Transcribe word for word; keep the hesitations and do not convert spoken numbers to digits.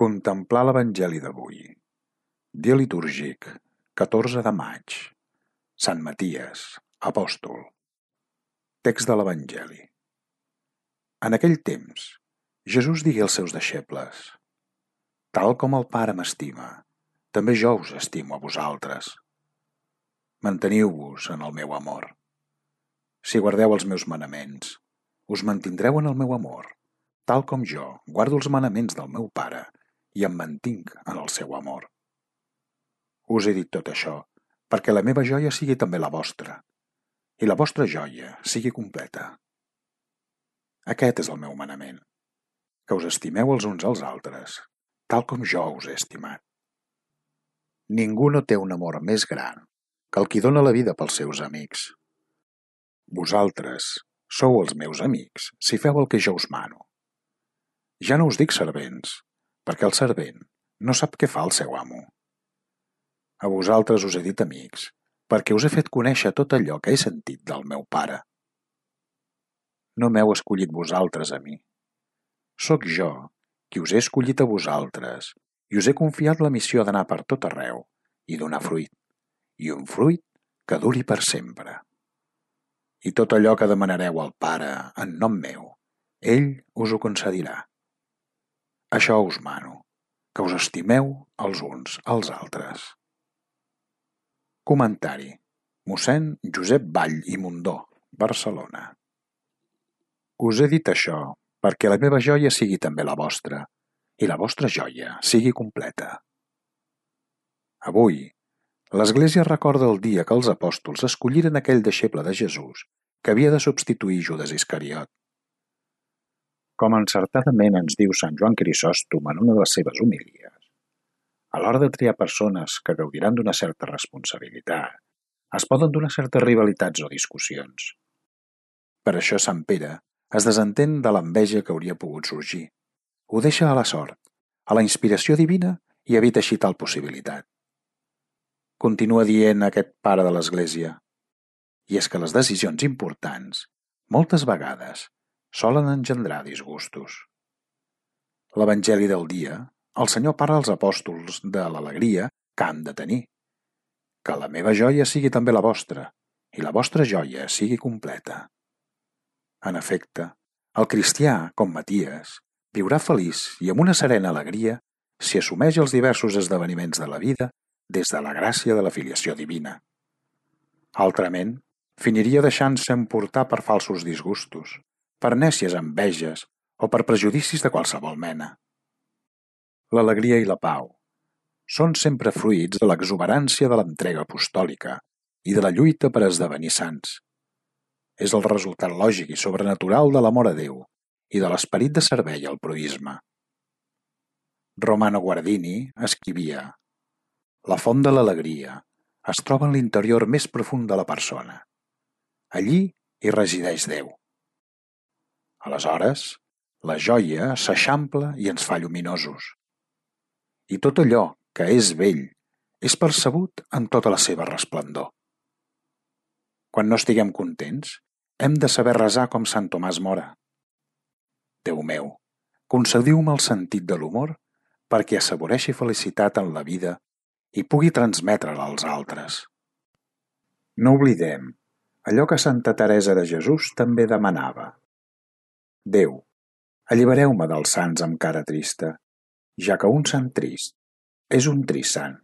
Contemplar l'Evangeli d'avui. Dia litúrgic, catorze de maig. Sant Maties, apòstol. Text de l'Evangeli. En aquell temps, Jesús digué als seus deixebles: Tal com el Pare m'estima, també jo us estimo a vosaltres. Manteniu-vos en el meu amor. Si guardeu els meus manaments, us mantindreu en el meu amor, tal com jo guardo els manaments del meu Pare i em mantinc en el seu amor. Us he dit tot això perquè la meva joia sigui també la vostra i la vostra joia sigui completa. Aquest és el meu manament, que us estimeu els uns als altres, tal com jo us he estimat. Ningú no té un amor més gran que el qui dona la vida pels seus amics. Vosaltres sou els meus amics si feu el que jo us mano. Ja no us dic servents, perquè el servent no sap què fa el seu amo. A vosaltres us he dit amics, perquè us he fet conèixer tot allò que he sentit del meu Pare. No m'heu escollit vosaltres a mi. Sóc jo qui us he escollit a vosaltres i us he confiat la missió d'anar per tot arreu i donar fruit, i un fruit que duri per sempre. I tot allò que demanareu al Pare en nom meu, ell us ho concedirà. Això us mano, que us estimeu els uns als altres. Comentari: mossèn Josep Vall i Mundó, Barcelona. Us he dit això perquè la meva joia sigui també la vostra i la vostra joia sigui completa. Avui, l'Església recorda el dia que els apòstols escolliren aquell deixeble de Jesús que havia de substituir Judes Iscariot. Com encertadament ens diu Sant Joan Crisòstom en una de les seves homilies, a l'hora de triar persones que gaudiran d'una certa responsabilitat, es poden donar certes rivalitats o discussions. Per això Sant Pere es desentén de l'enveja que hauria pogut sorgir. Ho deixa a la sort, a la inspiració divina i evita així tal possibilitat. Continua dient aquest pare de l'Església, i és que les decisions importants, moltes vegades, solen engendrar disgustos. L'Evangeli del dia, el Senyor parla als apòstols de l'alegria que han de tenir. Que la meva joia sigui també la vostra i la vostra joia sigui completa. En efecte, el cristià, com Maties, viurà feliç i amb una serena alegria si assumeix els diversos esdeveniments de la vida des de la gràcia de la filiació divina. Altrament, finiria deixant-se emportar per falsos disgustos, per nècies enveges o per prejudicis de qualsevol mena. L'alegria i la pau són sempre fruits de l'exuberància de l'entrega apostòlica i de la lluita per esdevenir sants. És el resultat lògic i sobrenatural de l'amor a Déu i de l'esperit de servei al proïsme. Romano Guardini escrivia: La font de l'alegria es troba en l'interior més profund de la persona. Allí hi resideix Déu. Aleshores, la joia s'eixampla i ens fa lluminosos. I tot allò que és bell és percebut en tota la seva resplendor. Quan no estiguem contents, hem de saber resar com Sant Tomàs Mora. Déu meu, concediu-me el sentit de l'humor perquè assaboreixi felicitat en la vida i pugui transmetre-la als altres. No oblidem allò que Santa Teresa de Jesús també demanava. Déu, allibereu-me dels sants amb cara trista, ja que un sant trist és un trist sant.